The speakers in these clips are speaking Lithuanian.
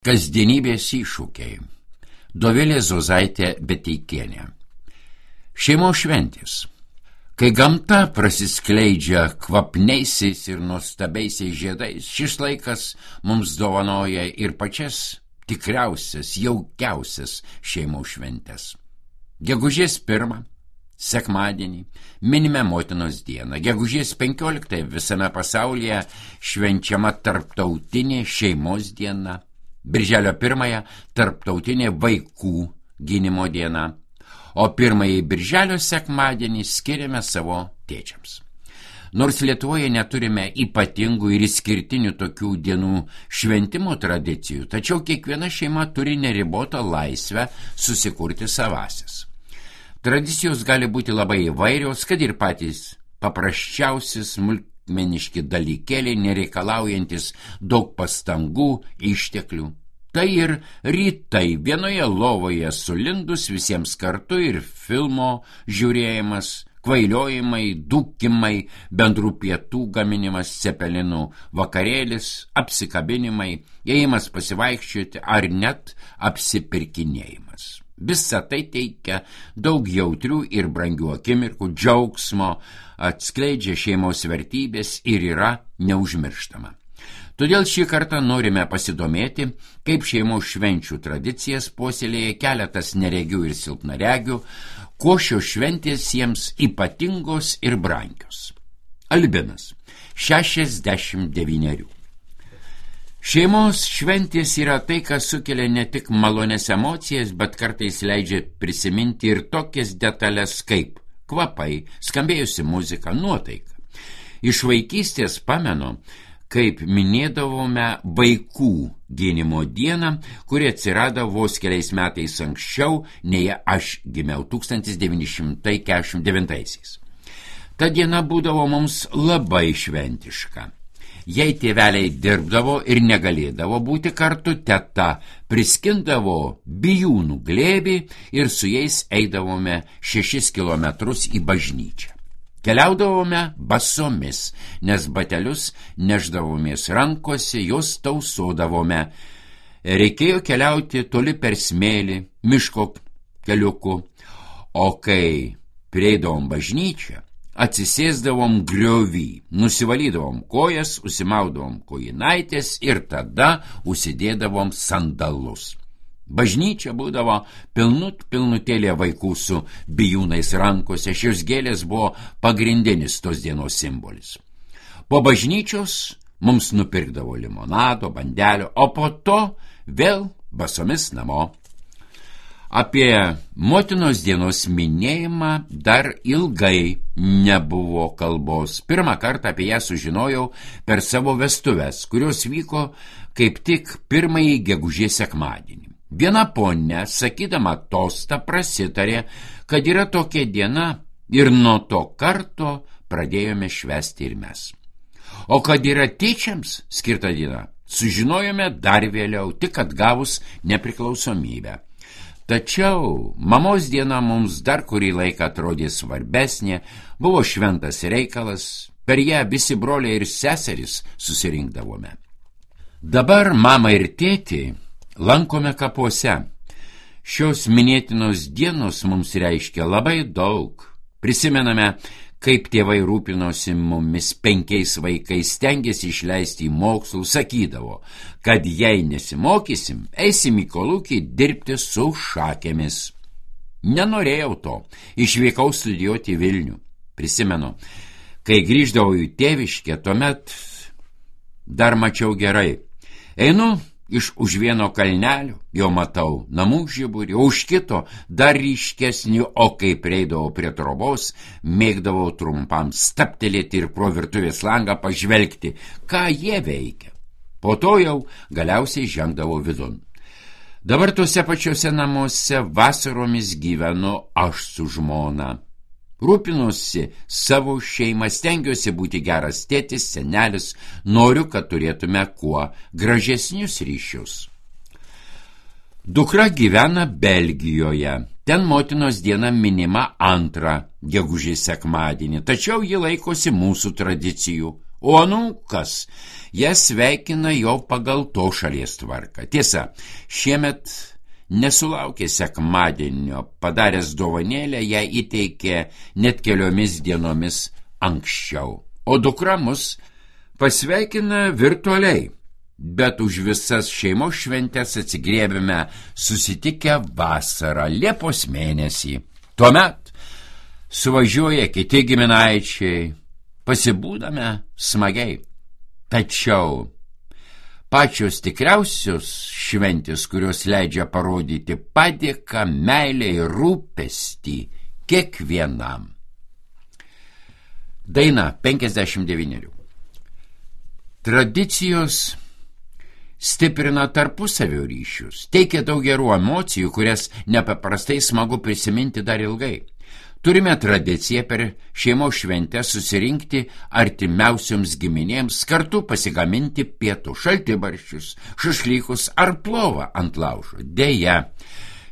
Kasdienybės iššūkiai. Dovilė Zozaitė Beteikienė. Šeimos šventės. Kai gamta prasiskleidžia kvapniaisiais ir nuostabiaisiais žiedais, šis laikas mums dovanoja ir pačias tikriausias, jaukiausias šeimos šventės. Gegužės 1, sekmadienį, minime Motinos dieną. Gegužės 15 visame pasaulyje švenčiama tarptautinė šeimos diena. Birželio 1 tarptautinė vaikų gynimo diena, o 1 birželio sekmadienį skiriame savo tėčiams. Nors Lietuvoje neturime ypatingų ir išskirtinių tokių dienų šventimo tradicijų, tačiau kiekviena šeima turi neribotą laisvę susikurti savasias. Tradicijos gali būti labai įvairios, kad ir patys paprasčiausi smulkmeniški dalykėliai, nereikalaujantis daug pastangų, išteklių. Tai ir rytai vienoje lovoje sulindus visiems kartu ir filmo žiūrėjimas, kvailiojimai, dūkimai, bendrų pietų gaminimas, cepelinų vakarėlis, apsikabinimai, ėjimas pasivaikščioti ar net apsipirkinėjimas. Visa tai teikia daug jautrių ir brangių akimirkų, džiaugsmo, atskleidžia šeimos vertybės ir yra neužmirštama. Todėl šį kartą norime pasidomėti, kaip šeimos švenčių tradicijas puoselėja keletas neregių ir silpnaregių, kuo šios šventės jiems ypatingos ir brangios. Albinas, 69. Šeimos šventės yra tai, kas sukelia ne tik malonias emocijas, bet kartais leidžia prisiminti ir tokias detalės kaip kvapai, skambėjusi muzika, nuotaika. Iš vaikystės pamenu, kaip minėdavome vaikų gynimo dieną, kuri atsirado vos keliais metais anksčiau, nei aš gimiau 1949. Ta diena būdavo mums labai šventiška. Jei tėveliai dirbdavo ir negalėdavo būti kartu, teta priskindavo bijūnų glėbį ir su jais eidavome 6 kilometrus į bažnyčią. Keliaudavome basomis, nes batelius neždavomės rankose, jos tausodavome. Reikėjo keliauti toli per smėlį, miško keliuku, o kai prieidavom bažnyčią, atsisėsdavom griovį, nusivalydavom kojas, užsimaudavom kojinaitės ir tada užsidėdavom sandalus. Bažnyčia būdavo pilnutėlė vaikų su bijūnais rankose, šios gėlės buvo pagrindinis tos dienos simbolis. Po bažnyčios mums nupirkdavo limonado, bandelio, o po to vėl basomis namo. Apie Motinos dienos minėjimą dar ilgai nebuvo kalbos. Pirmą kartą apie ją sužinojau per savo vestuves, kurios vyko kaip tik 1 gegužės sekmadienį. Viena ponia, sakydama tostą, prasitarė, kad yra tokia diena ir nuo to karto pradėjome švęsti ir mes. O kad yra tėčiams skirta diena, sužinojome dar vėliau, tik atgavus nepriklausomybę. Tačiau mamos diena mums dar kurį laiką atrodė svarbesnė, buvo šventas reikalas, per ją visi broliai ir seserys susirinkdavome. Dabar mama ir tėtį lankome kapuose. Šios minėtinos dienos mums reiškia labai daug. Prisimename, kaip tėvai rūpinosi mumis 5 vaikais, stengėsi išleisti į mokslų, sakydavo, kad jei nesimokysim, eisim į kolūkį dirbti su šakėmis. Nenorėjau to, išvykau studijuoti į Vilnių. Prisimenu, kai grįždavau į tėviškę, tuomet dar mačiau gerai. Einu iš už vieno kalnelio, jau matau namų žiburį, o už kito dar ryškesnį, o kai prieidavau prie trobos, mėgdavau trumpam staptelėti ir pro virtuvės langą pažvelgti, ką jie veikia. Po to jau galiausiai žengdavau vidun. Dabar tuose pačiuose namuose vasaromis gyvenu aš su žmona. Rūpinuosi savo šeimą, stengiuosi būti geras tėtis, senelis, noriu, kad turėtume kuo gražesnius ryšius. Dukra gyvena Belgijoje, ten Motinos diena minima 2 gegužės sekmadienį, tačiau ji laikosi mūsų tradicijų, o anūkas jas sveikina jau pagal to šalies tvarką. Tiesa, šiemet nesulaukė sekmadienio, padaręs dovanėlę, ją įteikė net keliomis dienomis anksčiau, o dukra mus pasveikina virtualiai, bet už visas šeimos šventės atsigriebėme susitikę vasarą, Liepos mėnesį. Tuomet suvažiuoja kiti giminaičiai, pasibūdame smagiai. Tačiau pačios tikriausios šventės, kurios leidžia parodyti padėką, meilę ir rūpestį kiekvienam. Daina 59. Tradicijos stiprina tarpusavio ryšius, teikia daug gerų emocijų, kurias nepaprastai smagu prisiminti dar ilgai. Turime tradiciją per šeimos šventę susirinkti artimiausioms giminėms, kartu pasigaminti pietų, šaltibarščius, šašlykus ar plovą ant laužo. Deja,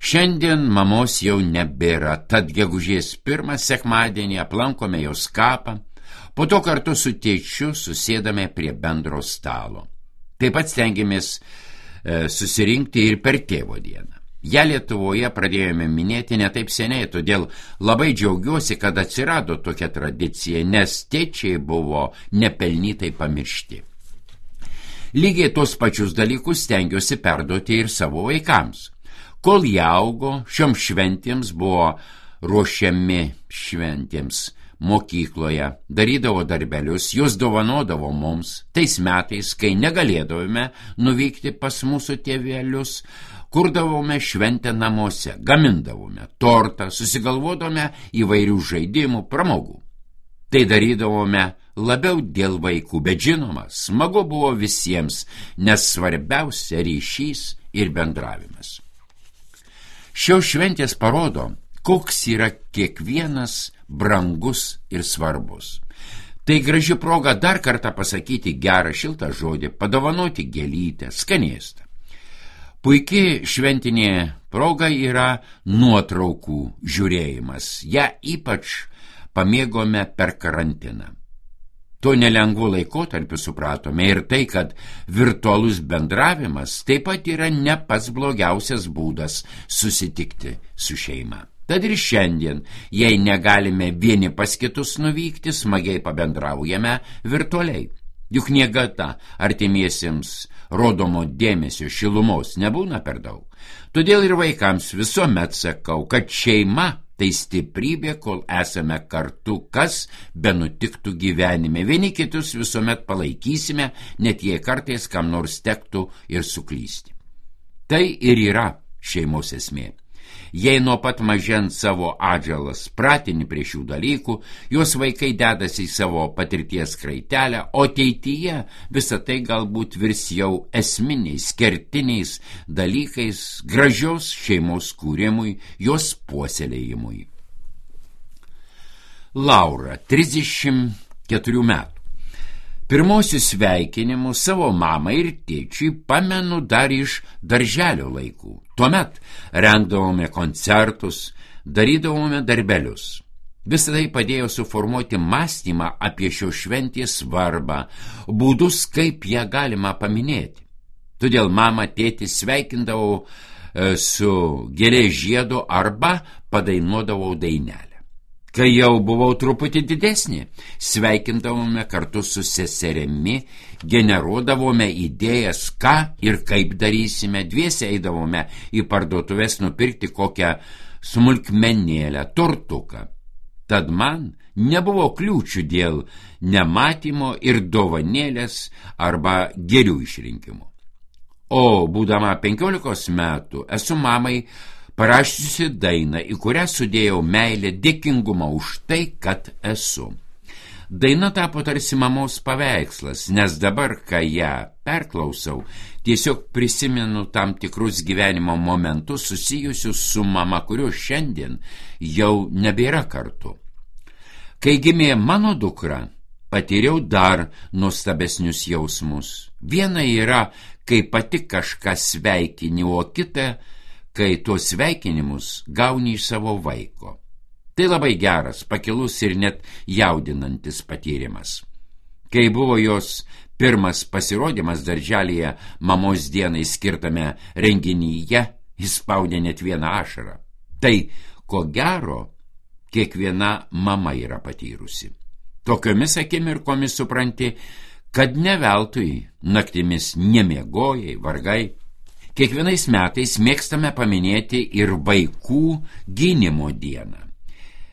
šiandien mamos jau nebėra, tad gegužės 1 sekmadienį aplankome jos kapą, po to kartu su tėčiu susėdame prie bendro stalo. Taip pat stengiamės susirinkti ir per tėvo dieną. Ja Lietuvoje pradėjome minėti ne taip seniai, todėl labai džiaugiuosi, kad atsirado tokia tradicija, nes tėčiai buvo nepelnytai pamiršti. Lygiai tos pačius dalykus stengiuosi perduoti ir savo vaikams. Kol jie augo, šioms šventėms buvo ruošiami šventėms mokykloje, darydavo darbelius, juos dovanodavo mums. Tais metais, kai negalėdavome nuvykti pas mūsų tėvelius, kurdavome šventę namuose, gamindavome tortą, susigalvodome įvairių žaidimų, pramogų. Tai darydavome labiau dėl vaikų, bet žinoma, smagu buvo visiems, nes svarbiausia ryšys ir bendravimas. Šios šventės parodo, koks yra kiekvienas brangus ir svarbus. Tai graži proga dar kartą pasakyti gerą šiltą žodį, padovanoti gėlytę, skanėstą. Puikiai šventinė proga yra nuotraukų žiūrėjimas. Ja ypač pamėgome per karantiną. Tuo nelengvu laikotarpiu supratome ir tai, kad virtualus bendravimas taip pat yra ne pats blogiausias būdas susitikti su šeima. Tad ir šiandien, jei negalime vieni pas kitus nuvykti, smagiai pabendraujame virtualiai. Juk niekada artimiesiems rodomo dėmesio šilumos nebūna per daug. Todėl ir vaikams visuomet sakau, kad šeima tai stiprybė, kol esame kartu, kas benutiktų gyvenime. Vieni kitus visuomet palaikysime, net jei kartais kam nors tektų ir suklysti. Tai ir yra šeimos esmė. Jei nuo pat mažens savo atžalas pratini prie šių dalykų, jos vaikai dedasi į savo patirties kraitelę, o ateityje visą tai galbūt virs jau esminiais, kertiniais dalykais gražios šeimos kūrimui, jos puoselėjimui. Laura, 34 metų. Pirmosius sveikinimus savo mamai ir tėčiui pamenu dar iš darželio laikų. Tuomet rengdavome koncertus, darydavome darbelius. Visą tai padėjo suformuoti mąstymą apie šio šventės svarbą, būdus, kaip ją galima paminėti. Todėl mama, tėtį sveikindavau su gėlės žiedu arba padainuodavau dainelę. Kai jau buvau truputį didesnė, sveikindavome kartu su seserimi, generuodavome idėjas, ką ir kaip darysime, dviese eidavome į parduotuvės nupirkti kokią smulkmenėlę, tortuką. Tad man nebuvo kliūčių dėl nematymo ir dovanėlės arba gėlių išrinkimo. O būdama 15 metų esu mamai parašiusi dainą, į kurią sudėjau meilę, dėkingumą už tai, kad esu. Daina tapo tarsi mamos paveikslas, nes dabar, kai ją perklausau, tiesiog prisimenu tam tikrus gyvenimo momentus susijusius su mama, kuriuo šiandien jau nebėra kartu. Kai gimė mano dukra, patyriau dar nuostabesnius jausmus. Viena yra, kai pati kažką sveikini, o kita, kai tuos sveikinimus gauni iš savo vaiko. Tai labai geras, pakilus ir net jaudinantis patyrimas. Kai buvo jos pirmas pasirodymas darželyje mamos dienai skirtame renginyje, jis spaudė net vieną ašarą. Tai, ko gero, kiekviena mama yra patyrusi. Tokiomis akimirkomis supranti, kad ne veltui naktimis nemiegojai, vargai. Kiekvienais metais mėgstame paminėti ir vaikų gynimo dieną.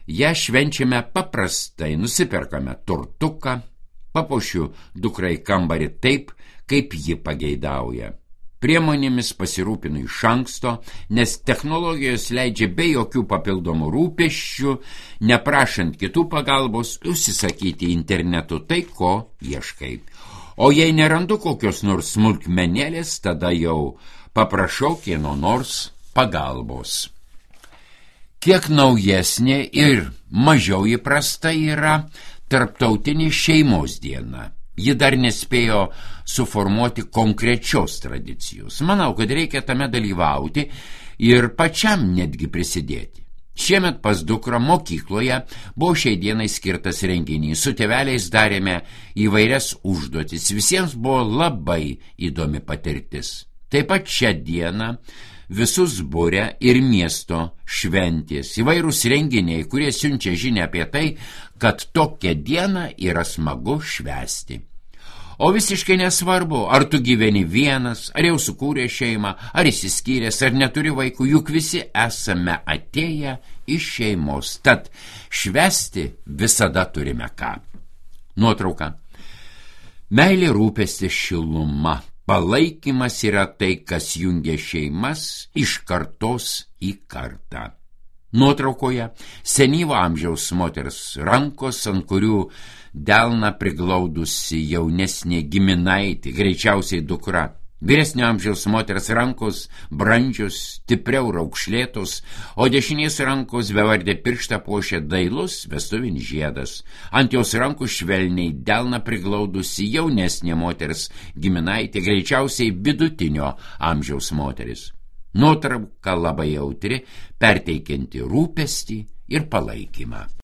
Ja švenčiame paprastai, nusiperkame tortuką, papuošiu dukrai kambarį taip, kaip ji pageidauja. Priemonėmis pasirūpinu iš anksto, nes technologijos leidžia be jokių papildomų rūpesčių, neprašant kitų pagalbos, užsisakyti internetu tai, ko ieškai. O jei nerandu kokios nors smulkmenėlės, tada jau paprašau kieno nors pagalbos. Kiek naujesnė ir mažiau įprasta yra Tarptautinė šeimos diena. Ji dar nespėjo suformuoti konkrečios tradicijos. Manau, kad reikia tame dalyvauti ir pačiam netgi prisidėti. Šiemet pas dukrą mokykloje buvo šiai dienai skirtas renginys. Su tėveliais darėme įvairias užduotis. Visiems buvo labai įdomi patirtis. Taip pat šią dieną visus būrė ir miesto šventės, įvairūs renginiai, kurie siunčia žinią apie tai, kad tokią dieną yra smagu švęsti. O visiškai nesvarbu, ar tu gyveni vienas, ar jau sukūrė šeimą, ar išsiskyręs, ar neturi vaikų, juk visi esame atėję iš šeimos, tad švęsti visada turime ką. Nuotrauka. Meilė, rūpestis, šiluma. Palaikymas yra tai, kas jungia šeimas iš kartos į kartą. Nuotraukoje senyvo amžiaus moters rankos, ant kurių delną priglaudusi jaunesnė giminaitė, greičiausiai dukra. Vyresnio amžiaus moters rankos brandžios, stipriau raukšlėtos, o dešinės rankos bevardė pirštą puošia dailus vestuvinis žiedas. Ant jos rankų švelniai delną priglaudusi jaunesnė moters giminaitė, greičiausiai vidutinio amžiaus moteris. Nuotrauka labai jautri, perteikianti rūpestį ir palaikymą.